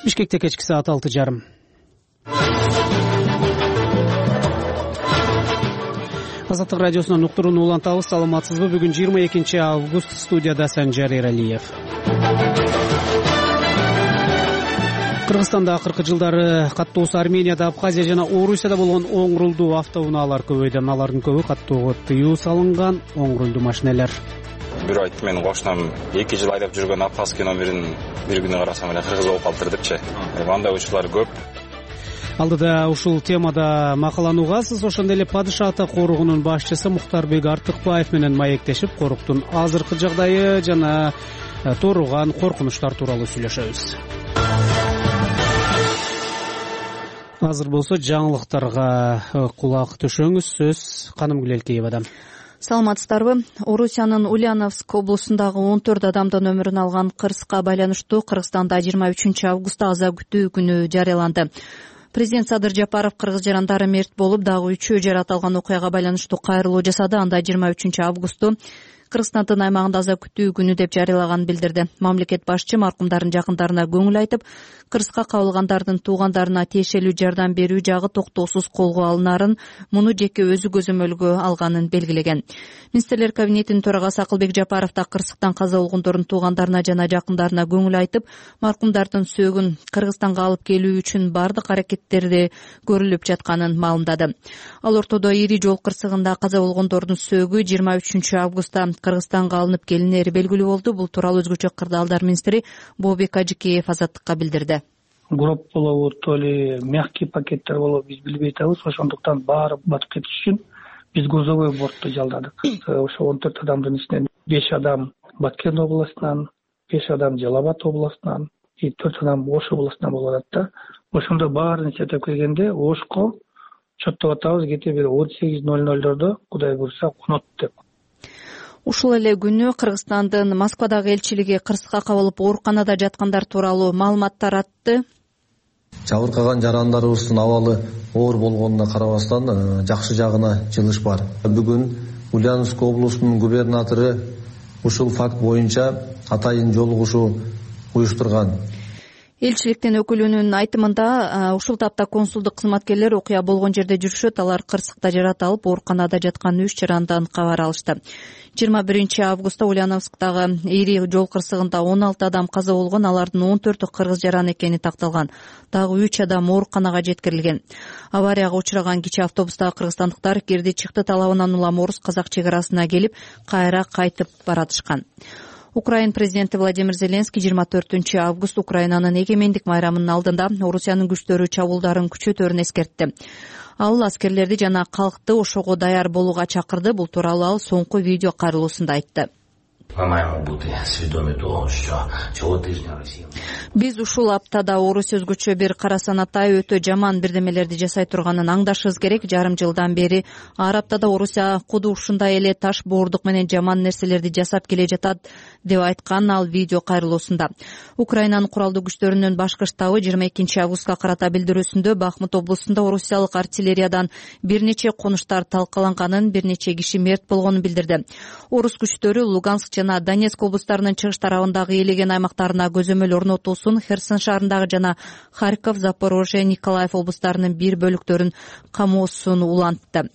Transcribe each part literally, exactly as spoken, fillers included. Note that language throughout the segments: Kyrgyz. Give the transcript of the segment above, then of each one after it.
Бишкекте кечки саат алты жарым. Азаттык радиосунан уктурууну улантабыз. Саламатсызбы? Бүгүн жыйырма экинчи август. Студияда Санжар Эралиев. Кыргызстанда акыркы жылдары каттоосу Арменияда, Абхазия жана Орусияда болгон оң рулдуу автоунаалар көбөйдү. Алардын көбү каттоого тыюу салынган оң рулдуу машинелер. Бирөө айтты, менин кошунам эки жыл айдап жүргөн абхазский номерин бир күнү карасам эле кыргыз болуп калыптыр депчи. Андай учурлар көп. Алдыда ушул темада макалануугасыз. Ошондой эле Падыша ата коругунун башчысы Мухтарбек Артыкбаев менен маектешип, коруктун азыркы жагдайы жана тууруган коркунучтар тууралуу сүйлөшөбүз. Азыр болсо жаңылыктарга кулак төшөңүз. Сөз Канымгүл Элкеевадан. Саламатсыздарбы? Орусиянын Ульяновск облусундагы он төрт адамдын өмүрүн алган кырсыкка байланыштуу Кыргызстанда жыйырма үчүнчү августта аза күтүү күнү жарыяланды. Президент Садыр Жапаров кыргыз жарандары мерт болуп, дагы үчөө жаракат алган окуяга байланыштуу кайрылуу жасады. Анда жыйырма үчүнчү августу Кыргызстандын аймагында аза күтүү күнү деп жарыялаганын билдирди. Мамлекет башчы маркумдардын жакындарына көңүл айтып, кырсыкка кабылгандардын туугандарына тиешелүү жардам берүү жагы токтоосуз колго алынарын, муну жеке өзү көзөмөлгө алганын белгилеген. Министрлер кабинетинин төрагасы Акылбек Жапаров да кырсыктан каза болгондордун туугандарына жана жакындарына көңүл айтып, маркумдардын сөөгүн Кыргызстанга алып келүү үчүн бардык аракеттерди көрүлүп жатканын маалымдады. Ал ортодо ири жол кырсыгында каза болгондордун сөөгү жыйырма үчүнчү августта Кыргызстанга алынып келинери белгилүү болду. Бул тууралуу өзгөчө кырдаалдар министри Бообек Ажыкеев Азаттыкка билдирди. Гроб болобу, то ли мягкий пакеттер болобу, биз билбей атабыз. Ошондуктан баары батып кетиш үчүн биз грузовой бортто жалдадык. Ошо он төрт адамдын ичинен беш адам Баткен областынан, беш адам Жалал Абад областынан, төрт адам Ош областынан болуп атат да. Ошондо баарын эсептеп келгенде Ошко чоттоп атабыз кете бир он сегиз ноль нольдордо Кудай буйрса конот деп. Ушул эле күнү Кыргызстандын Москвадагы элчилиги кырсыкка кабылып ооруканада жаткандар тууралуу маалымат таратты. Жабыркаган жарандарыбыздын абалы оор болгонуна карабастан жакшы жагына жылыш бар. Бүгүн Ульяновск облусунун губернатору ушул факт боюнча атайын жолугушуу уюштурган. Элчиликтин өкүлүнүн айтымында, ушул тапта консулдук кызматкерлер окуя болгон жерде жүрүшөт. Алар кырсыкта жарат алып, ооруканада жаткан үч жарандан кабар алышты. жыйырма биринчи августта Ульяновсктагы ири жол кырсыгында он алты адам каза болгон, алардын он төртү кыргыз жаран экени такталган. Дагы үч адам ооруканага жеткирилген. Аварияга учураган кичи автобустагы кыргызстандыктар кирди чыкты талабынан улам орус-казак чек арасына келип, кайра кайтып баратышкан. Украин президенти Владимир Зеленский жыйырма төртүнчү август Украинанын эгемендик майрамынын алдында Орусиянын күчтөрү чабуулдарын күчөтөрүн эскертти. Ал аскерлерди жана калкты ошого даяр болууга чакырды. Бул тууралуу ал соңку видео кайрылуусунда айтты. Биз ушул аптада Орус өзгөчө бир кара санатай өтө жаман бирдемелерди жасай турганын аңдашыбыз керек. Жарым жылдан бери ар аптада Орусия куду ушундай эле таш боордук менен жаман нерселерди жасап келе жатат деп айткан ал видео кайрылуусунда. Украинанын куралдуу күчтөрүнүн башкы штабы жыйырма экинчи августка карата билдирүүсүндө Бахмут облусунда орусиялык артиллериядан бир нече конуштар талкаланганын, бир нече киши мерт болгонун билдирди. Орус күчтөрү Луганск жана Донецк облустарынын чыгыш тарабындагы ээлеген аймактарына көзөмөл орнотуусун, Херсон шаарындагы жана Харьков, Запорожье, Николаев облустарынын бир бөлүктөрүн камоосун улантты.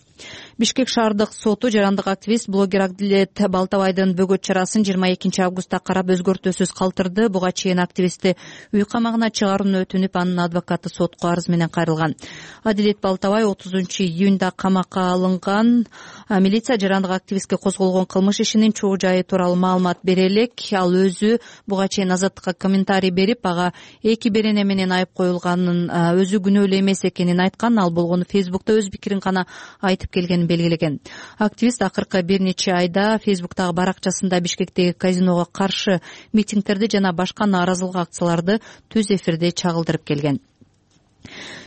Бишкек шаардык соту жарандык активист блогер Акдилет Балтабайдын бөгөт чарасын жыйырма экинчи августта карап өзгөртүүсүз калтырды. Буга чейин активистти үй камагына чыгарууну өтүнүп, анын адвокаты сотко арыз менен кайрылган. Адилет Балтабай отузунчу июнда камакка алынган. Милиция жарандык активистке козголгон кылмыш ишинин чоо жайы тууралуу маалымат бере элек. Ал өзү буга чейин Азаттыкка комментарий берип, ага эки берене менен айып коюлганын, өзү күнөөлүү эмес экенин айткан. Ал болгону Фейсбукта өз пикирин гана айтып келгенин белгилеген. Активист акыркы бир нече айда Фейсбуктагы баракчасында Бишкектеги казиного каршы митингдерди жана башка нааразылык акцияларды түз эфирде чагылдырып келген.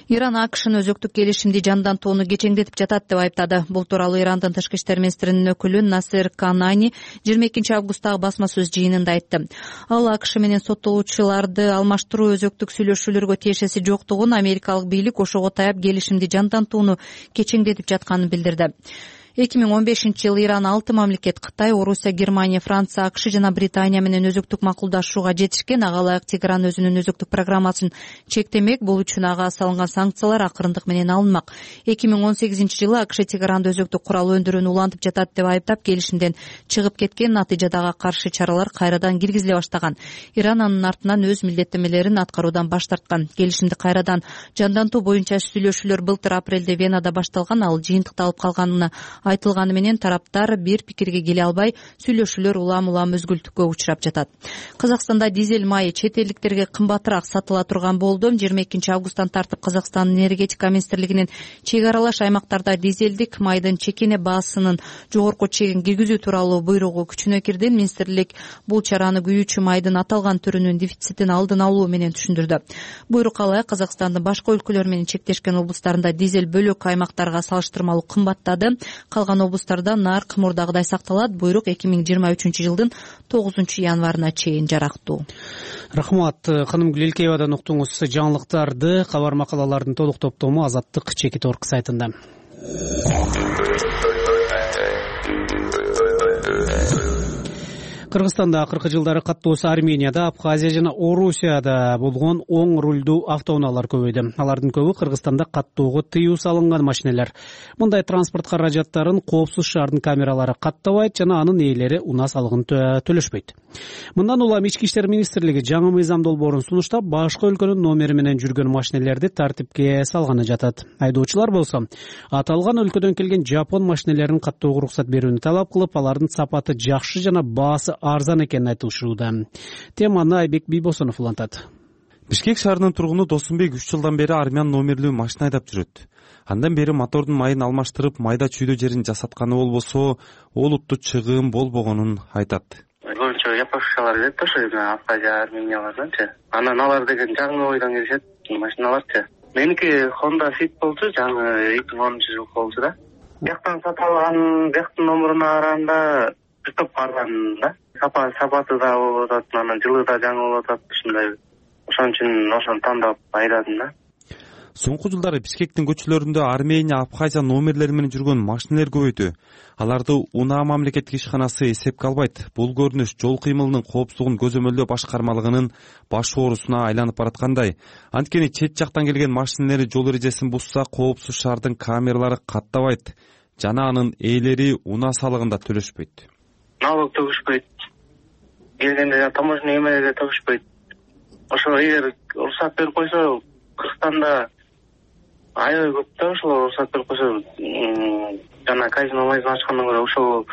Иран АКШнын өзөктүк келишимди жандантууну кечеңдетип жатат деп айыптады. Бул тууралуу Ирандын тышкы иштер министринин өкүлү Насер Канани жыйырма экинчи августтагы басма сөз жыйынында айтты. Ал АКШ менен соттолуучуларды алмаштыруу өзөктүк сүйлөшүүлөргө тиешеси жоктугун, америкалык бийлик ошого таяп келишимди жандантууну кечеңдетип жатканын билдирди. эки миң он бешинчи жылы Иран алты мамлекет Кытай, Орусия, Германия, Франция, АКШ жана Британия менен өзөктүк макулдашууга жетишкен. Ага ылайык Тегеран өзүнүн өзөктүк программасын чектемек. Бул үчүн ага салынган санкциялар акырындык менен алынмак. эки миң он сегизинчи жылы АКШ Тегеранды өзөктүк курал өндүрүүнү улантып жатат деп айыптап келишимден чыгып кеткен. Натыйжада ага каршы чаралар кайрадан киргизиле баштаган. Иран анын артынан өз милдеттенмелерин аткаруудан баш тарткан. Келишимди кайрадан жандантуу боюнча сүйлөшүүлөр былтыр апрелде Венада башталган. Ал жыйынтыкталып калганы айтылганы менен тараптар бир пикирге келе албай, сүйлөшүүлөр улам улам өзгүлтүккө учурап жатат. Казакстанда дизель майы чет элдиктерге кымбатыраак сатыла турган болду. жыйырма экинчи августтан тартып Казакстандын энергетика министрлигинин чек аралаш аймактарда дизелдик майдын чекене баасынын жогорку чегин киргизүү тууралуу буйругу күчүнө кирди. Министрлик бул чараны күйүүчү майдын аталган түрүнүн дефицитин алдын алуу менен түшүндүрдү. Буйрукка ылайык Казакстандын башка өлкөлөр менен чектешкен облустарында дизель бөлөк аймактарга салыштырмалуу кымбаттады. Калган облустарда нарк мурдагыдай сакталат. Буйрук эки миң жыйырма үчүнчү жылдын тогузунчу январына чейин жарактуу. Рахмат. Ханымгүл Элкеевадан уктуңуз жаңылыктарды. Кабар макалалардын толук топтому Азаттык Чекит Орг сайтында. Кыргызстанда акыркы жылдары каттоосу Арменияда, Абхазия жана Орусияда болгон оң рулдуу автоунаалар көбөйдү. Алардын көбү Кыргызстанда каттоого тыюу салынган машинелер. Мындай транспорт каражаттарын коопсуз шаардын камералары каттабайт жана анын ээлери унаа салыгын төлөшпөйт. Мындан улам Ички иштер министрлиги жаңы мыйзам долбоорун сунуштап, башка өлкөнүн номери менен жүргөн машинелерди тартипке салганы жатат. Айдоочулар болсо аталган өлкөдөн келген жапон машинелерин каттоого уруксат берүүнү талап кылып, алардын сапаты жакшы жана баасы арзан экенин айтышууда. Теманы Айбек Бийбосонов улантат. Бишкек шаарынын тургуну Досунбек үч жылдан бери армян номерлүү машина айдап жүрөт. Андан бери мотордун майын алмаштырып, майда чүйдө жерин жасатканы болбосо, олуттуу чыгым болбогонун айтат. Көбүнчө япошкалар келет да, ошо Абхазия, Арменияларданчы. Анан алар деген жаңы ойдон келишет машиналарчы. Меники Honda Fit болчу, жаңы эки миң онунчу жыл болчу да. Бияктан сатып алган, бияктын номуруна караганда бир топ арзан да. Сапа сапаты да болуп атат, анан жылы да жаңы болуп атат, ушундай. Ошон үчүн ошону тандап айдадым да. Соңку жылдары Бишкектин көчөлөрүндө Армения, Абхазия номерлери менен жүргөн машинелер көбөйдү. Аларды Унаа мамлекеттик ишканасы эсепке албайт. Бул көрүнүш жол кыймылынын коопсуздугун көзөмөлдөө башкармалыгынын баш оорусуна айланып бараткандай. Анткени чет жактан келген машинелери жол эрежесин бузса, коопсуз шаардын камералары каттабайт жана анын ээлери унаа салыгын да төлөшпөйт. Налог төгүшпөйт. Келгенде таможня эмелерге төгүшпөйт. Ошо эгер уруксат берип койсо, Кыргызстанда аябай көп да, ошол уруксат берип койсо, жана казино майзын ачкандан көрө ошол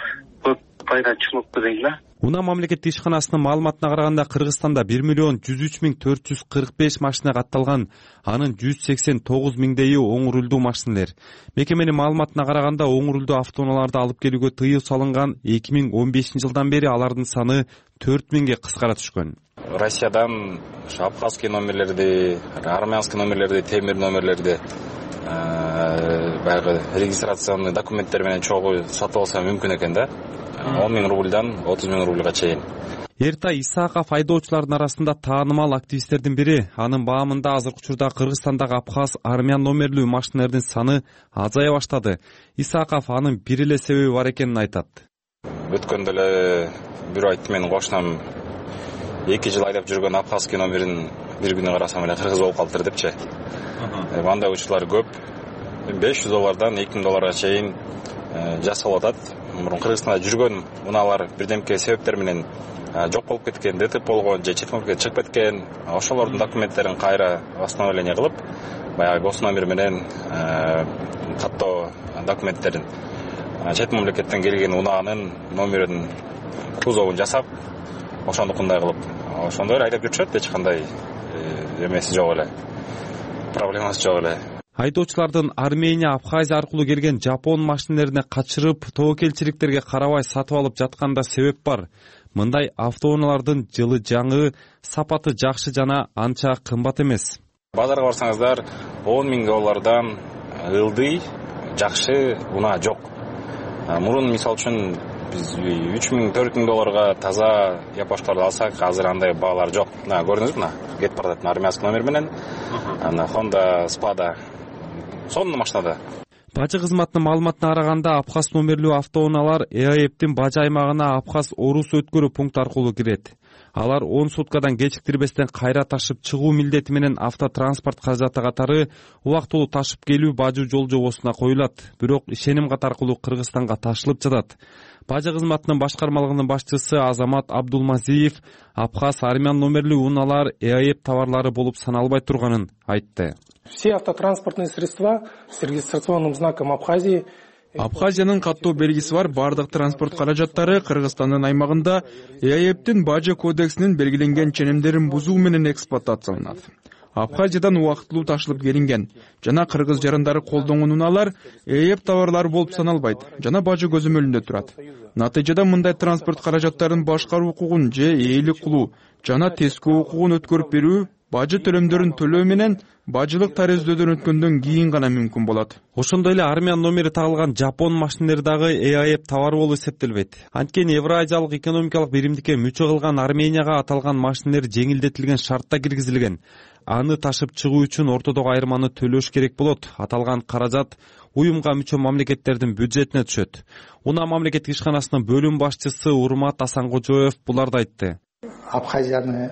көп пайда чыкмакпы дейм да. Унаа мамлекеттик ишканасынын маалыматына караганда, Кыргызстанда бир миллион жүз үч миң төрт жүз кырк беш машина катталган, анын жүз сексен тогуз миңдейи оң рулдуу машинелер. Мекеменин маалыматына караганда, оң рулдуу автоунааларды алып келүүгө тыюу салынган эки миң он бешинчи жылдан бери алардын саны төрт миңге кыскара түшкөн. Россиядан абхазский номерлерди, армянский номерлерди, темир номерлерди баягы регистрационный документтер менен чогуу сатып алса мүмкүн экен да. он миң рубльдан отуз миң рубльга чейин. Эртай Исааков айдоочулардын арасында таанымал активисттердин бири. Анын баамында азыркы учурда Кыргызстандагы абхаз, армян номерлүү машинелердин саны азая баштады. Исааков анын бир эле себеби бар экенин айтат. Өткөндө эле бирөө айтты, менин кошунам эки жыл айдап жүргөн абхазский номерин бир күнү карасам эле кыргыз болуп калыптыр депчи. Андай учурлар көп. беш жүз доллардан эки миң долларга чейин жасалып атат. Мурун Кыргызстанда жүргөн унаалар бирдемке себептер менен жок болуп кеткен, ДТП болгон же чет мамлекетке чыгып кеткен. Ошолордун документтерин кайра восстановление кылып, баягы гос номер менен каттоо документтерин чет мамлекеттен келген унаанын номерин, кузовун жасап, ошондукундай кылып, ошондой айдап жүрүшөт. Эч кандай эмеси жок эле, проблемасы жок эле. Айдоочулардын Армения, Абхазия аркылуу келген жапон машинелерине качырып, тобокелчиликтерге карабай сатып алып жатканда себеп бар. Мындай автоунаалардын жылы жаңы, сапаты жакшы жана анча кымбат эмес. Базарга барсаңыздар, он миң доллардан ылдый жакшы унаа жок. Мурун мисал үчүн биз үч миң төрт миң долларга таза япошкаларды алсак, азыр андай баалар жок. Мына көрдүңүзбү, мына кетип баратат армянский номер менен. Ана Honda Spada сонун машинада. Бажы кызматынын маалыматына караганда Абхаз номерлүү автоунаалар ЭАЭптин бажы аймагына Абхаз Орус өткөрүү пункт аркылуу кирет. Алар он суткадан кечиктирбестен кайра ташып чыгуу милдети менен автотранспорт каражаты катары убактылуу ташып келүү бажы жол жобосуна коюлат, бирок ишеним кат аркылуу Кыргызстанга ташылып жатат. Бажы кызматынын башкармалыгынын башчысы Азамат Абдулмазиев Абхаз армян номерлүү унаалар ЭАЭп товарлары болуп саналбай турганын айтты. Все автотранспортные средства с регистрационным знаком Абхазии. Абхазиянын каттоо белгиси бар бардык транспорт каражаттары Кыргызстандын аймагында ЭАЭптин бажы кодексинин белгиленген ченемдерин бузуу менен эксплуатацияланат. Абхазиядан убактылуу ташылып келинген жана кыргыз жарандары колдонгон унаалар ЭАЭп товарлары болуп саналбайт жана бажы көзөмөлүндө турат. Натыйжада мындай транспорт каражаттарын башкаруу укугун же ээлик кылуу жана тескөө укугун өткөрүп берүү бажы төлөмдөрүн төлөө менен бажылык тарөздөөдөн өткөндөн кийин гана мүмкүн болот. Ошондой эле армян номери тагылган жапон машинелери дагы ЭАЭп товары болуп эсептелбейт. Анткени Евразиялык экономикалык биримдикке мүчө кылган Арменияга аталган машинелер жеңилдетилген шартта киргизилген. Аны ташып чыгуу үчүн ортодогу айырманы төлөш керек болот. Аталган каражат уюмга мүчө мамлекеттердин бюджетине түшөт. Унаа мамлекеттик ишканасынын бөлүм башчысы Урмат Асанкожоев буларды айтты. Абхазияны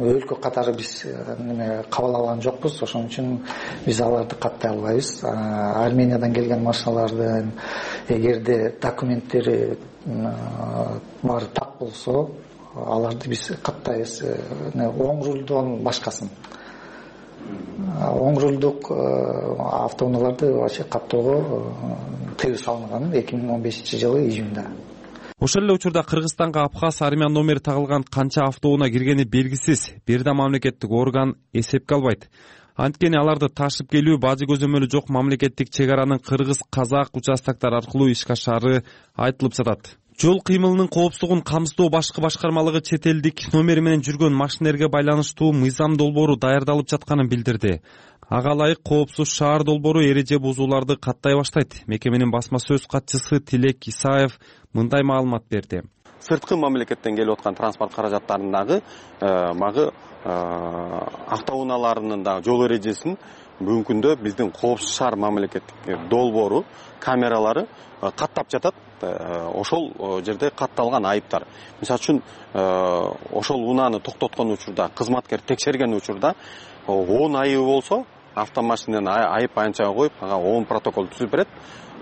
өлкө катары биз кабыл алган жокпуз, ошон үчүн биз аларды каттай албайбыз. Армениядан келген машиналардын эгерде документтери баары так болсо, аларды биз каттайбыз. Оң рулдон башкасын. Оң рулдук автоунааларды вообще каттоого тыюу салынган эки миң он бешинчи жылы июнда. Ошол эле учурда Кыргызстанга Абхаз армян номери тагылган канча автоунаа киргени белгисиз. Бир да мамлекеттик орган эсепке албайт. Анткени аларды ташып келүү бажы көзөмөлү жок мамлекеттик чек аранын кыргыз-казак участоктор аркылуу ишке ашаары айтылып жатат. Жол кыймылынын коопсуздугун камсыздоо башкы башкармалыгы чет элдик номери менен жүргөн машинелерге байланыштуу мыйзам долбоору даярдалып жатканын билдирди. Ага ылайык коопсуз шаар долбоору эреже бузууларды каттай баштайт. Мекеменин басма сөз катчысы Тилек Исаев мындай маалымат берди. Сырткы мамлекеттен келип аткан транспорт каражаттарындагы магы автоунааларынын дагы жол эрежесин бүгүнкү күндө биздин коопсуз шаар мамлекеттик долбоору камералары каттап жатат. Ошол жерде катталган айыптар. Мисалы үчүн ошол унааны токтоткон учурда, кызматкер текшерген учурда он айыбы болсо, автомашиненин айып аянчага коюп, ага он протокол түзүп берет.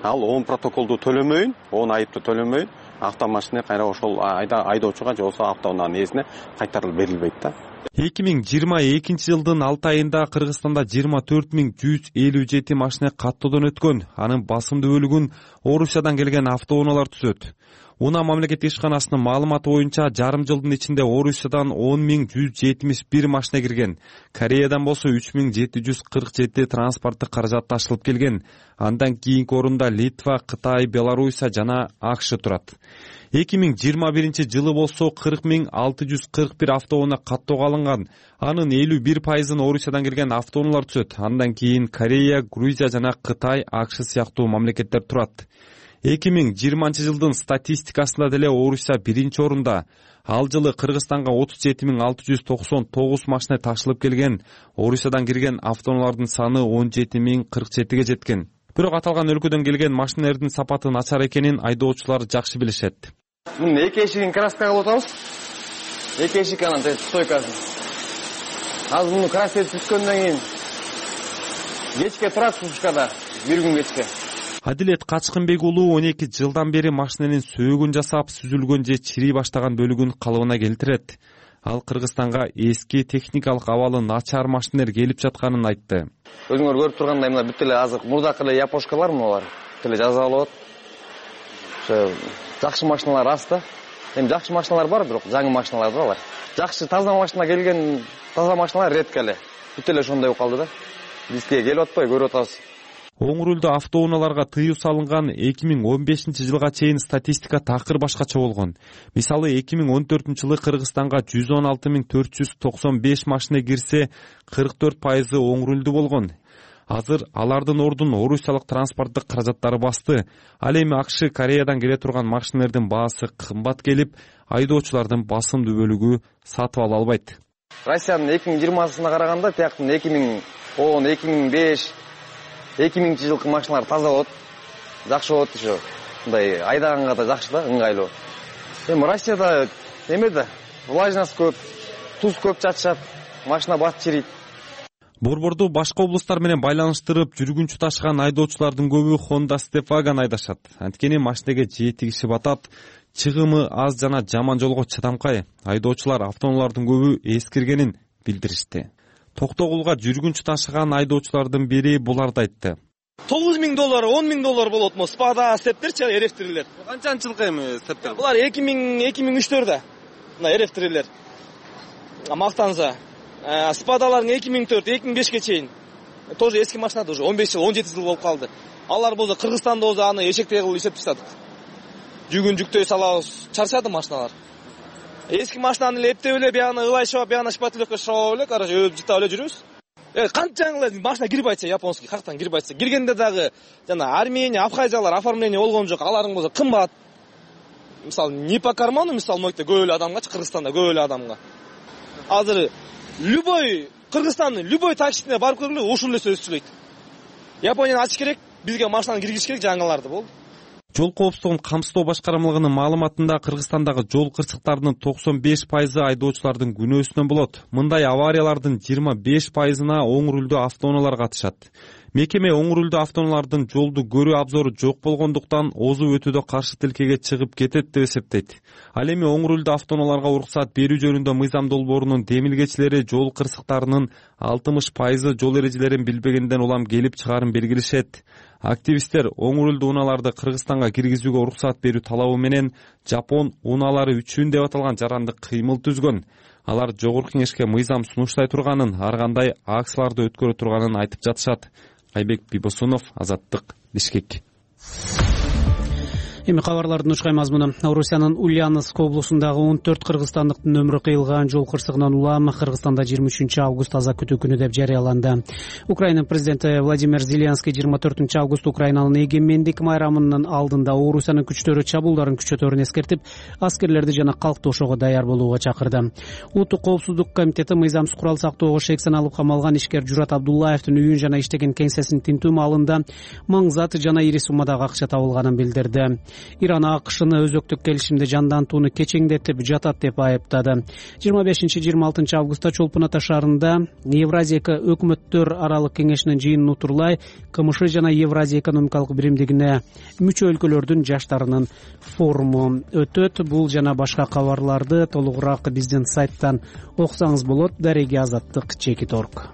Ал он протоколду төлөмөйүн, он айыпты төлөмөйүн, автомашина кайра ошол айдоочуга же болбосо автоунаанын ээсине кайтарылып берилбейт да. эки миң жыйырма экинчи жылдын алты айында Кыргызстанда жыйырма төрт миң жүз элүү жети машина каттоодон өткөн. Анын басымдуу бөлүгүн Орусиядан келген автоунаалар түзөт. Унаа мамлекеттик ишканасынын маалыматы боюнча жарым жылдын ичинде Орусиядан он миң жүз жетимиш бир машина кирген. Кореядан болсо үч миң жети жүз кырк жети транспорттук каражат ташылып келген. Андан кийинки орунда Литва, Кытай, Белоруссия жана АКШ турат. эки миң жыйырма биринчи жылы болсо кырк миң алты жүз кырк бир автоунаа каттоого алынган. Анын элүү бир пайызын Орусиядан келген автоунаалар түзөт. Андан кийин Корея, Грузия жана Кытай, АКШ сыяктуу мамлекеттер турат. эки миң жыйырманчы жылдын статистикасында деле Орусия биринчи орунда. Ал жылы Кыргызстанга отуз жети миң алты жүз токсон тогуз машина ташылып келген. Орусиядан кирген автоунаалардын саны он жети миң кырк жетиге жеткен. Бирок аталган өлкөдөн келген машинелердин сапаты начар экенин айдоочулар жакшы билишет. Мына эки эшигин краска кылып атабыз. Эки эшик анан стойкасын. Азыр муну краска түзгөндөн кийин кечке турат сушкада, бир күн кечке. Адилет Качкынбек уулу он эки жылдан бери машиненин сөөгүн жасап, сүзүлгөн же чирий баштаган бөлүгүн калыбына келтирет. Ал Кыргызстанга эски техникалык абалы начар машинелер келип жатканын айтты. Өзүңөр көрүп тургандай мына бүт эле азыр мурдакы эле япошкалар мунулар. Бүт эле жаза алып атат. Ошо жакшы машиналар аз да. Эми жакшы машиналар бар, бирок жаңы машиналар да алар. Жакшы таза машина келген, таза машиналар редко эле. Бүт эле ошондой болуп калды да. Бизге келип атпай көрүп атабыз. Оң рулдуу автоунааларга тыюу салынган эки миң он бешинчи жылга чейин статистика такыр башкача болгон. Мисалы эки миң он төртүнчү жылы Кыргызстанга жүз он алты миң төрт жүз токсон беш машина кирсе, кырк төрт пайызы оң рулдуу болгон. Азыр алардын ордун Орусиялык транспорттук каражаттары басты. Ал эми АКШ Кореядан келе турган машинелердин баасы кымбат келип, айдоочулардын басымдуу бөлүгү сатып ала албайт. Россиянын эки миң жыйырмасына караганда тияктын эки миң он, эки миң беш эки миңинчи жылкы машиналар таза болот, жакшы болот еще. Мындай айдаганга да жакшы да, ыңгайлуу. Эми Россияда эме да, влажность көп, туз көп чачышат, машина батып чирийт. Борборду башка облустар менен байланыштырып жүргүнчү ташыган айдоочулардын көбү Honda Stepwagon айдашат. Анткени машинеге жети киши батат, чыгымы аз жана жаман жолго чыдамкай. Айдоочулар автоунаалардын көбү эскиргенин билдиришти. Токтогулга жүргүнчү ташыган айдоочулардын бири буларды айтты. тогуз миң доллар, он миң доллар болот му? Спада стептерчи, эрефтирилер. Канчанчы жылкы эми стептер? Булар эки миң, эки миң үчтөрдө. Мына эрефтирилер. Мактанса. Спадалардын эки миң төрт, эки миң бешке чейин. Тоже эски машина уже он беш жыл, он жети жыл болуп калды. Алар болсо Кыргызстанда болсо аны эшектей кылып эсептеп сатат. Жүгүн жүктөй салабыз, чарчады машиналар. Эски машинаны эле эптеп эле бияны ылай шоп, бияны шпателевке шоп эле, короче, өп жытап эле жүрүбүз. Э, канчаңылар машина кирип айтса, японский кактан кирип айтса, киргенде дагы жана Армения, Абхазиялар оформление болгон жок, алардын болсо кымбат. Мисалы, не по карману, мисалы, мойте көп эле адамгачы, Кыргызстанда көп эле адамга. Азыр любой Кыргызстандын любой таксисине барып көргүлө, ушул эле сөз сүйлөйт. Японияны ачыш керек, бизге машинаны киргизиш керек, жаңыларды болду. Жол коопсуздугун камсыздоо башкармалыгынын маалыматында Кыргызстандагы жол кырсыктарынын токсон беш пайызы айдоочулардын күнөөсүнөн болот. Мындай авариялардын жыйырма беш пайызына оң рулдүү автоунаалар катышат. Мекеме оң рулдүү автоунаалардын жолду көрүү абзору жок болгондуктан озу өтүүдө каршы тилкеге чыгып кетет деп эсептейт. Ал эми оң рулдүү автоунааларга уруксат берүү жөнүндө мыйзам долбоорунун демилгечилери жол кырсыктарынын алтымыш пайызы жол эрежелерин билбегенден улам келип чыгаарын белгилешет. Активисттер оң рулдүү унааларды Кыргызстанга киргизүүгө уруксат берүү талабы менен Жапон унаалары үчүн деп аталган жарандык кыймыл түзгөн. Алар жогорку кеңешке мыйзам сунуштай турганын, ар кандай акцияларды өткөрө турганын айтып жатышат. Айбек Бибосунов, Азаттык, Бишкек. Эми кабарлардын ушкай мазмуну. Орусиянын Ульяновск облусундагы он төрт кыргызстандыктын өмүрү кыйылган жол кырсыгынан улам Кыргызстанда жыйырма үчүнчү август таза күтүү күнү деп жарыяланды. Украина президенти Владимир Зеленский жыйырма төртүнчү август Украинанын эгемендик майрамынын алдында Орусиянын күчтөрү чабуулдарын күчөтөөрүн эскертип, аскерлерди жана калкты ошого даяр болууга чакырды. Улуттук коопсуздук комитети мыйзамсыз курал сактоого шексен алып камалган ишкер Журат Абдуллаевдин үйүн жана иштеген кеңсесин тинтүү маалында маңзат жана ири суммадагы акча табылганын билдирди. Иран АКШны өзөктүк келишимди жандантууну кечеңдетип жатат деп айыптады. жыйырма бешинчи жыйырма алтынчы августта Чолпон Ата шаарында Евразия өкмөттөр аралык кеңешинин жыйынын утурлай КМШ жана Евразия экономикалык биримдигине мүчө өлкөлөрдүн жаштарынын форуму өтөт. Бул жана башка кабарларды толугураак биздин сайттан окусаңыз болот. Дареги Азаттык, Чекит орг.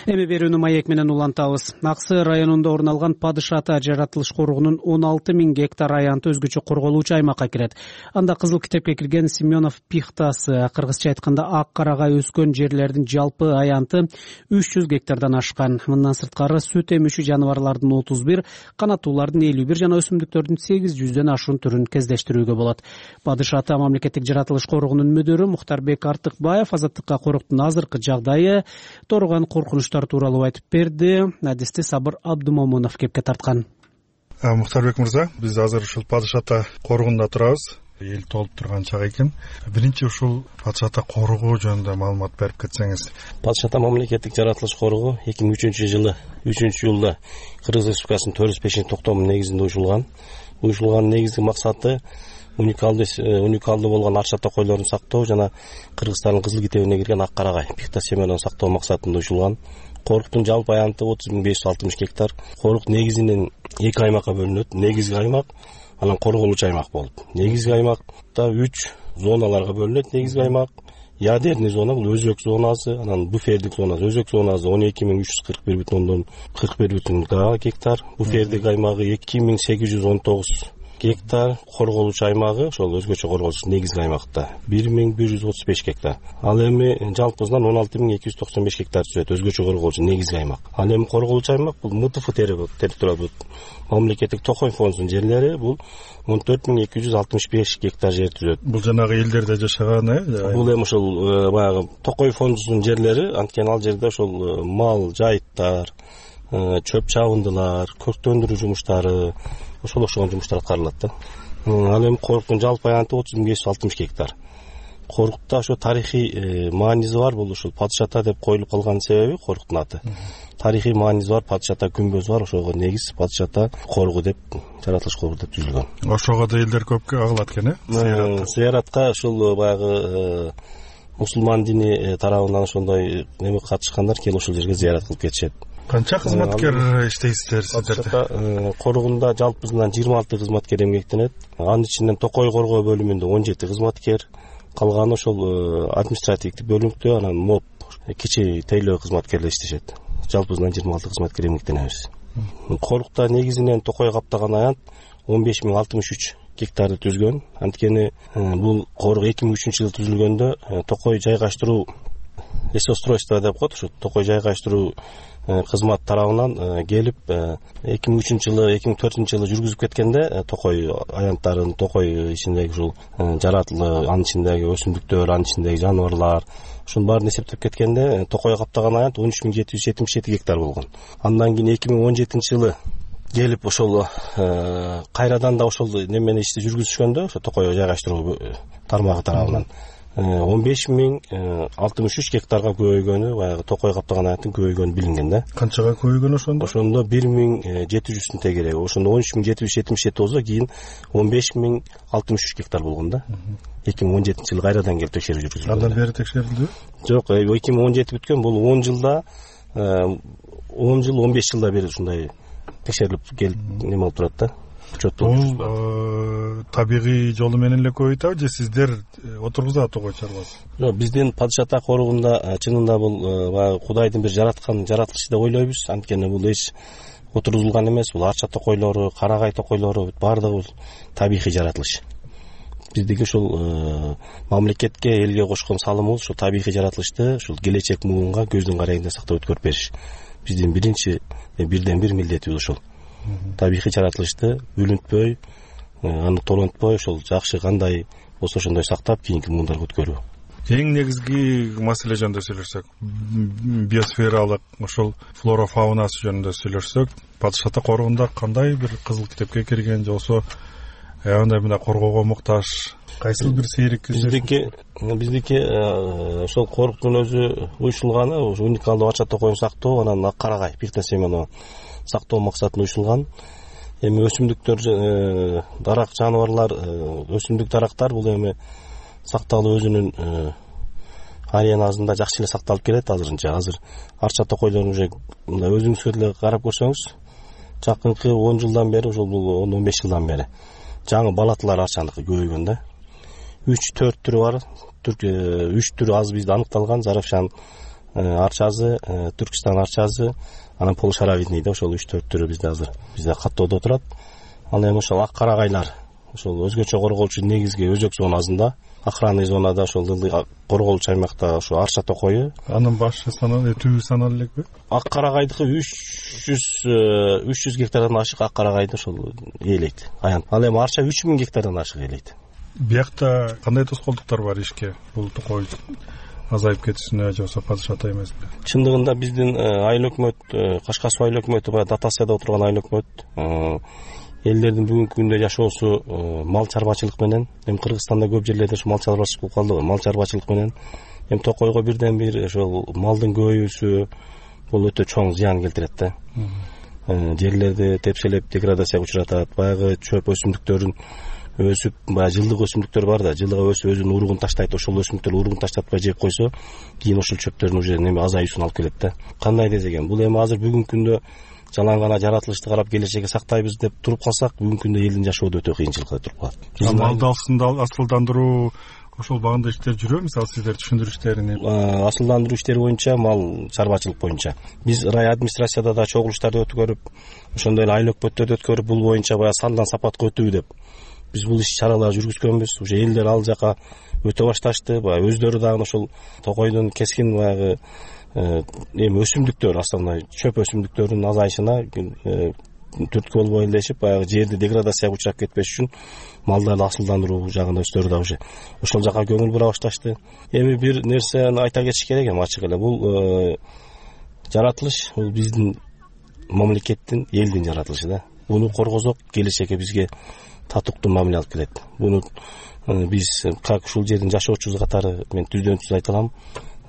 Эми берүүнү маек менен улантабыз. Аксы районунда орун алган Падыш Ата жаратылыш коргоонун он алты миң гектар аянты өзгөчө корголуучу аймакка кирет. Анда кызыл китепке кирген Семенов пихтасы, кыргызча айтканда ак карагай өскөн жерлердин жалпы аянты үч жүз гектардан ашкан. Мындан сырткары сүт эмүүчү жаныбарлардын отуз бир, канаттуулардын элүү бир жана өсүмдүктөрдүн сегиз жүздөн ашуун түрүн кездештирүүгө болот. Падыш Ата мамлекеттик жаратылыш коргоонунун мүдүрү Мухтарбек Артыкбаев Азаттыкка коруктун азыркы жагдайы, торгон коркунуч тууралуу айтып берди. Адисти Сабыр Абдумомунов кепке тарткан. Мухтарбек мырза, биз азыр ушул Падыш Ата коргунда турабыз. Эл толуп турган чак экен. Биринчи ушул Падыш Ата коргоо жөнүндө маалымат берип кетсеңиз. Падыш Ата мамлекеттик жаратылыш коргоо эки миң үчүнчү жылы үчүнчү июлда Кыргыз Республикасынын төрт жүз бешинчи токтому негизинде уюшулган. Уюшулганын негизги максаты уникалдуу уникалдуу болгон арча токойлорун сактоо жана Кыргызстандын кызыл китебине кирген ак карагай пихта семенон сактоо максатында уюшулган. Коруктун жалпы аянты отуз миң беш жүз алтымыш гектар. Корuk негизинен эки аймакка бөлүнөт. Негизги аймак, анан корголуучу аймак болуп. Негизги аймакта үч зоналарга бөлүнөт. Негизги аймак ядерный зона, бул өзөк зонасы, анан буфердик зонасы. Өзөк зонасы он эки миң үч жүз кырк бир бүтүн ондон кырк бир бүтүн гектар. Буфердик аймагы эки миң сегиз жүз он тогуз гектар. Корголуучу аймагы ошол өзгөчө корголуучу негизги аймакта бир миң бир жүз отуз беш гектар. Ал эми жалпысынан он алты миң эки жүз токсон беш гектар түзөт өзгөчө корголуучу негизги аймак. Ал эми корголуучу аймак бул МТФ территория, мамлекеттик Токой фондунун жерлери бул он төрт миң эки жүз алтымыш беш гектар жер түзөт. Бул жанагы элдерде жашаган э? Бул эми ошол баягы Токой фондунун жерлери, анткени ал жерде ошол мал жайыттар, чөп чабындылар, көктөндүрүү жумуштары, ошол окшогон жумуштар аткарылат да. Ал эми коруктун жалпы аянты отуз миң беш жүз алтымыш гектар. Коруктта ошо тарыхый мааниси бар. Бул ушул Падыш ата деп коюлуп калган себеби Коруктун аты. Тарыхый мааниси бар, Падыш ата күмбөзү бар. Ошого негиз Падыш ата коргу деп, жаратылыш коргу деп түзүлгөн. Ошого да элдер көп кагылат экен, э? Зыяратка ушул баягы мусулман дини тарабынан ошондой неме катышкандар келип ушул жерге зыярат кылып кетишет. Канча кызматкер иштейсиздер сиздерде? Коргунда жалпысынан жыйырма алты кызматкер эмгектенет. Анын ичинен Токой коргоо бөлүмүндө он жети кызматкер, калганы ошол административдик бөлүмдө, анан моп кичи тейлөө кызматкерлер иштешет. Жалпысынан жыйырма алты кызматкер эмгектенебиз. Корукта негизинен Токой каптаган аянт он беш миң алтымыш үч гектарды түзгөн. Анткени бул корук эки миң үчүнчү жылы түзүлгөндө Токой жайгаштыруу лесостройство деп коет, ошо Токой жайгаштыруу кызмат тарабынан келип эки миң үчүнчү жылы, эки миң төртүнчү жылы жүргүзүп кеткенде Токой аянттарын, Токой ичиндеги ушул жаратылы, анын ичиндеги өсүмдүктөр, анын ичиндеги жаныбарлар, ушунун баарын эсептеп кеткенде Токой каптаган аянт он үч миң жети жүз жетимиш жети гектар болгон. Андан кийин эки миң он жетинчи жылы келип ошол кайрадан да ошол немени ишти жүргүзүшкөндө, ошо Токой жайгаштыруу тармагы тарабынан он беш миң алтымыш үч гектарга көбөйгөнү, баягы Токой каптаган аянттын көбөйгөнү билинген да. Канчага көбөйгөн ошондо? Ошондо бир миң жети жүздүн тегереги. Ошондо он үч миң жети жүз жетимиш жети болсо, кийин он беш миң алтымыш үч гектар болгон да. эки миң он жетинчи жылы кайрадан келип текшерүү жүргүзүлгөн. Андан бери текшерилдүбү? Жок, эки миң он жети бүткөн, бул он жылда он жыл он беш жылда бери ушундай текшерилип келип неме болуп турат да. Бул табигый жолу менен эле көбөйтөбү же сиздер отургузат Токой чарбасы? Жок, биздин Падыш ата коругунда чынында бул баягы Кудайдын бир жараткан жаратылышы деп ойлойбуз. Анткени бул эч отургузулган эмес, бул арча токойлору, карагай токойлору баардыгы табигый жаратылыш. Биздики ушул мамлекетке, элге кошкон салымыбыз ушул табигый жаратылышты ушул келечек муунга көздүн карайында сактап өткөрүп бериш. Биздин биринчи бирден бир милдетибиз ушул. Табигый жаратылышты бүлүнтпөй, аны толонтпой, ошол жакшы кандай болсо ошондой сактап кийинки муундарга өткөрүү. Эң негизги маселе жөнүндө сүйлөшсөк, биосфералык ошол флора фаунасы жөнүндө сүйлөшсөк, Падыш ата коругунда кандай бир кызыл китепке кирген же болсо андай мына коргоого муктаж кайсыл бир сейрек биздики биздики ошол коруктун өзү уюшулганы уникалдуу арча токойун сактоо, анан ак карагай Пихта Семенова сактоо максатында уюшулган. Эми өсүмдүктөр, дарак жаныбарлар, өсүмдүк дарактар бул эми сакталуу өзүнүн ариянасында жакшы эле сакталып келет азырынча. Азыр арча токойлорун уже мындай өзүңүзгө деле карап көрсөңүз, жакынкы он жылдан бери, ошол бул он беш жылдан бери жаңы балатылар арчаныкы көбөйгөн да. үч төрт түрү бар. үч түрү азыр бизде аныкталган: Заравшан арчазы, Түркистан арчазы, анан полушаровидный да, ошол үч төрт түрү бизде азыр бизде каттоодо турат. Ал эми ошол ак карагайлар, ошол өзгөчө корголчу негизги өзөк зонасында, охранный зонада, ошол корголчу аймакта ошо арча токою. Анын башы саналып, түбү саналып элекпи? Ак карагайдыкы үч жүз гектардан ашык ак карагайды ошол ээлейт аянт. Ал эми арча үч миң гектардан ашык ээлейт. Биякта кандай тоскоолдуктар бар ишке бул токой азайып кетишине же болсо Падыш ата эмесине? Чындыгында биздин айыл өкмөт, Кашкар суу айыл өкмөтү баягы дотацияда отурган айыл өкмөт, элдердин бүгүнкү күндө жашоосу мал чарбачылык менен. Эми Кыргызстанда көп жерлерде ушу мал чарбачылык болуп калды, мал чарбачылык менен. Эми токойго бирден бир ошол малдын көбөйүүсү бул өтө чоң зыян келтирет да. Жерлерди тепселеп деградацияга учуратат. Баягы чөп өсүмдүктөрүн өсүп, баягы жылдык өсүмдүктөр бар да, жылга өсүп өзүнүн уругун таштайт. Ошол өсүмдүктөр уругун таштатпай жеп койсо, кийин ошол чөптөрдүн уже неме азаюусун алып келет да. Кандай десек, бул эми азыр бүгүнкү күндө жалаң гана жаратылышты карап келечекке сактайбыз деп туруп калсак, бүгүнкү күндө элдин жашоодо өтө кыйынчылыкка туруп калат. Малды асылдандыруу ошол багында иштер жүрөбү? Мисалы сиздер түшүндүрүштөрүн асылдандыруу иштери боюнча, мал чарбачылык боюнча биз рай администрацияда да чогулуштарды өткөрүп, ошондой эле айыл өкмөттөрдө өткөрүп, бул боюнча баягы сандан сапатка өтүү деп биз бул иш чараларды жүргүзгөнбүз. Уже элдер ал жака өтө башташты. Баягы өздөрү дагы ошол токойдун кескин баягы эми өсүмдүктөр, основной чөп өсүмдүктөрүнүн азайышына түрткү болбой элешип, баягы жерди деградацияга учурап кетпеш үчүн малдарды асылдандыруу жагында өздөрү да уже ошол жака көңүл бура башташты. Эми бир нерсени айта кетиш керек, эми ачык эле бул жаратылыш бул биздин мамлекеттин, элдин жаратылышы да. Буну коргозок, келечекке бизге татыктуу мамиле алып келет. Буну биз как ушул жердин жашоочусу катары мен түздөн түз айта алам,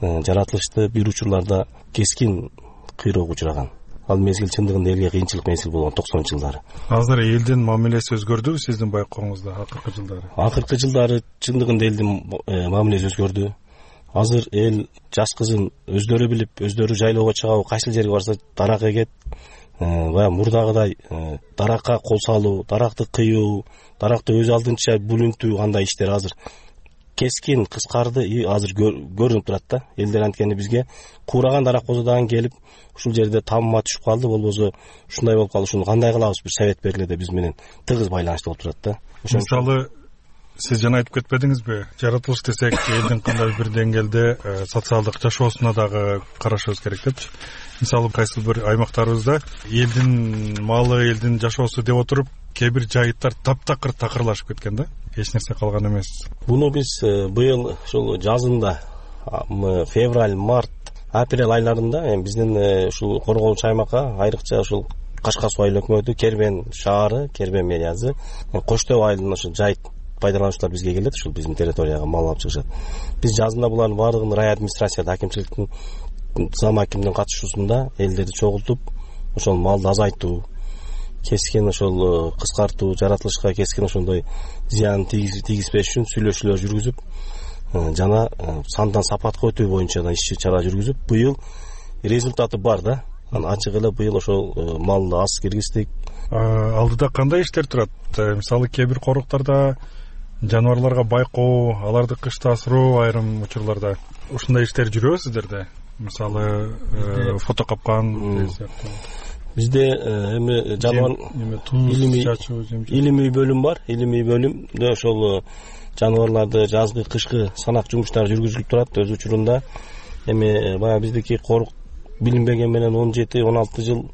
жаратылышты бир учурларда кескин кыйроого учураган. Ал мезгил чындыгында элге кыйынчылык мезгил болгон токсонунчу жылдары. Азыр элдин мамилеси өзгөрдүбү сиздин байкооңузда акыркы жылдары? Акыркы жылдары чындыгында элдин мамилеси өзгөрдү. Азыр эл жаш кызын өздөрү билип, өздөрү жайлоого чыгабы, кайсыл жерге барса дарак эгет. Баягы мурдагыдай даракка кол салуу, даракты кыюу, даракты өз алдынча бүлүнтүү кандай иштер азыр кескин кыскарды и азыр көрүнүп турат да. Элдер анткени бизге куураган дарак болсо дагы келип ушул жерде тамма түшүп калды, болбосо ушундай болуп калды, ушуну кандай кылабыз, бир совет бергиле деп биз менен тыгыз байланышта болуп турат да. Мисалы сиз жана айтып кетпедиңизби, жаратылыш десек элдин кандай бир деңгээлде социалдык жашоосуна дагы карашыбыз керек депчи. Мисалы кайсы бир аймактарыбызда элдин малы, элдин жашоосу деп отуруп кээ бир жайыттар таптакыр такырлашып кеткен да, эч нерсе калган эмес. Буну биз быйыл ушул жазында февраль, март, апрель айларында биздин ушул корголгучу аймакка айрыкча ушул Кашка суу айыл өкмөтү, Кербен шаары, Кербен мериясы, Коштоо айылынын ушул жайыт пайдалануучулар бизге келет, ушул биздин территорияга мал алып чыгышат. Биз жазында булардын баардыгын рай администрацияда, акимчиликтин зам акимдин катышуусунда элдерди чогултуп, ошол малды азайтуу, кескин ошол кыскартуу, жаратылышка кескин ошондой зыян тийгизбеш үчүн сүйлөшүүлөр жүргүзүп, жана сандан сапатка өтүү боюнча да иш чара жүргүзүп, быйыл результаты бар да. Ачык эле быйыл ошол малды аз киргиздик. Алдыда кандай иштер турат? Мисалы кээ бир коруктарда жаныбарларга байкоо, аларды кышта асыроо айрым учурларда ушундай иштер жүрөбү сиздерде? Мисалы фото капкан бизде эми жаныбар илимий бөлүм бар. Илимий бөлүмдө ошол жаныбарларды жазгы, кышкы санак жумуштары жүргүзүлүп турат өз учурунда. Эми баягы биздики корук билинбеген менен он жети он алты жыл,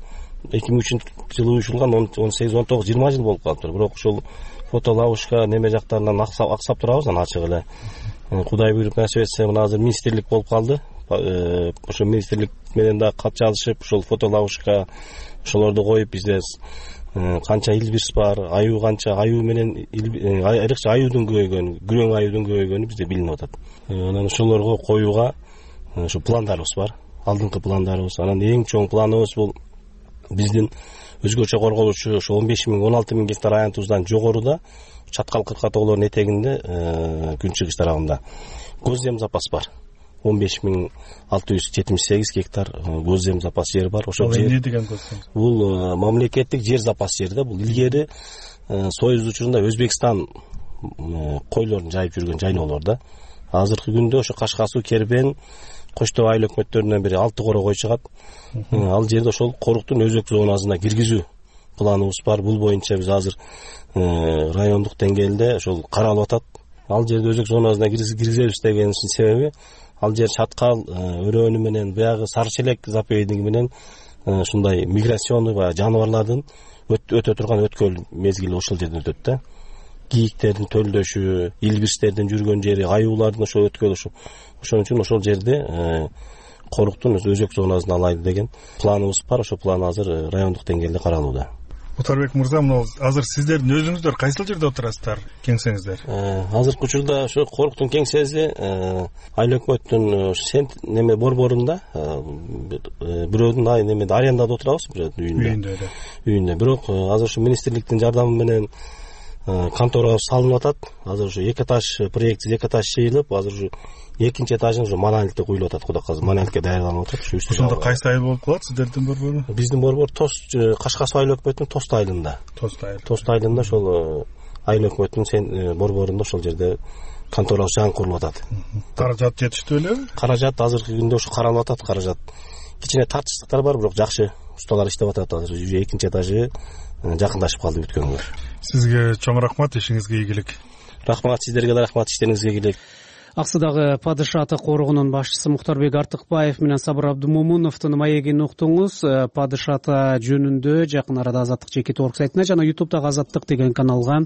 эки миң үчүнчү жылы уюшулган, он сегиз он тогуз жыйырма жыл болуп калыптыр. Бирок ушул фото лавушка неме жактарынан аксап турабыз, анан ачык эле. Кудай буйруп насип этсе, мына азыр министрлик болуп калды. Ошо министрлик менен да кат жазышып, ушул фото лавушка ошолорду коюп, бизде канча илбирс бар, аюу канча, аюу менен айрыкча аюудун көбөйгөнү, күрөң аюудун көбөйгөнү бизде билинип атат. Анан ошолорго коюуга ушу пландарыбыз бар. Алдыңкы пландарыбыз. Анан эң чоң планыбыз бул биздин өзгөчө корголуучу ошо он беш миң он алты миң гектар аянтыбыздан жогоруда Чаткал кырка тоголордун этегинде күн чыгыш тарабында госзем запас бар. он беш миң алты жүз жетимиш сегиз гектар госзем запас жер бар. Ошол жер эмне деген госзем? Бул мамлекеттик жер запас жер да. Бул илгери Союз учурунда Өзбекстан койлорун жайып жүргөн жайлоолор да. Азыркы күндө ошо Кашка суу, Кербен, Коштоо айыл өкмөттөрүнөн бири алты коро кой чыгат. Ал жерде ошол коруктун өзөк зонасына киргизүү планыбыз бар. Бул боюнча биз азыр райондук деңгээлде ошол каралып атат. Ал жерде өзөк зонасына киргизебиз дегенибиздин себеби, ал жер Чаткал өрөөнү менен баягы Сары Челек заповедниги менен ушундай миграционный баягы жаныбарлардын өтө турган өткөл мезгили ошол жерден өтөт да. Кийиктердин төлдөшү, илбирстердин жүргөн жери, аюулардын ошол өткөлү ошо. Ошон үчүн ошол жерде коруктун өзөк зонасын алайлы деген планыбыз бар. Ошол план азыр райондук деңгээлде каралууда. Отарбек мырза, мына азыр сиздердин өзүңүздөр кайсыл жерде отурасыздар, кеңсеңиздер? Азыркы учурда ошо коруктун кеңсеси айыл өкмөттүн сент неме борборунда, бирөөдүн ай немеде арендада отурабыз, бирөөдүн үйүндө. Үйүндө. Бирок азыр ушу министрликтин жардамы менен конторабыз салынып атат. Азыр ушу эки этаж проектси эки этаж чыйылып, азыр ушу экинчи этажын ушу монолитте куюлуп атат. Кудай калса монолитке даярданып атат. Ушу үстү. Ошондо кайсы айыл болуп калат сиздердин борбору? Биздин борбор Тос Кашка суу айыл өкмөтүнүн Тост айылында. Тост айыл. Тост айылында ошол айыл өкмөтүнүн борборунда ошол жерде конторабыз жаңы курулуп атат. Каражат жетиштүү элеби? Каражат азыркы күндө ушу каралып атат. Каражат кичине тартыштыктар бар, бирок жакшы усталар иштеп атат. Азыр экинчи этажы жакындашып калды бүткөнгө. Сизге чоң рахмат, ишиңизге ийгилик. Рахмат, сиздерге да рахмат, иштериңизге ийгилик. Аксудагы Падыша ата коргунун башчысы Мухтарбек Артыкбаев менен Сабыр Абдумомуновдун маегин уктуңуз. Падыша ата жөнүндө жакын арада Азаттык жеке торк сайтына жана ютубтагы Азаттык деген каналга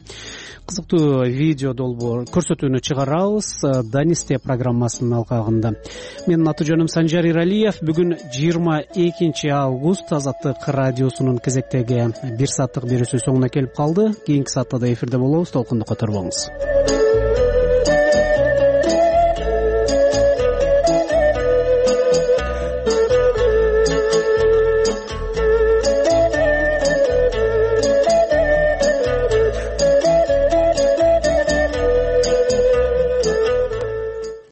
кызыктуу видео долбоор көрсөтүүнү чыгарабыз. Данисте программасынын алкагында. Менин аты жөнүм Санжар Иралиев. Бүгүн жыйырма экинчи август. Азаттык радиосунун кезектеги бир сааттык берүүсү соңуна келип калды. Кийинки саатта да эфирде болобуз. Толкунду которбоңуз.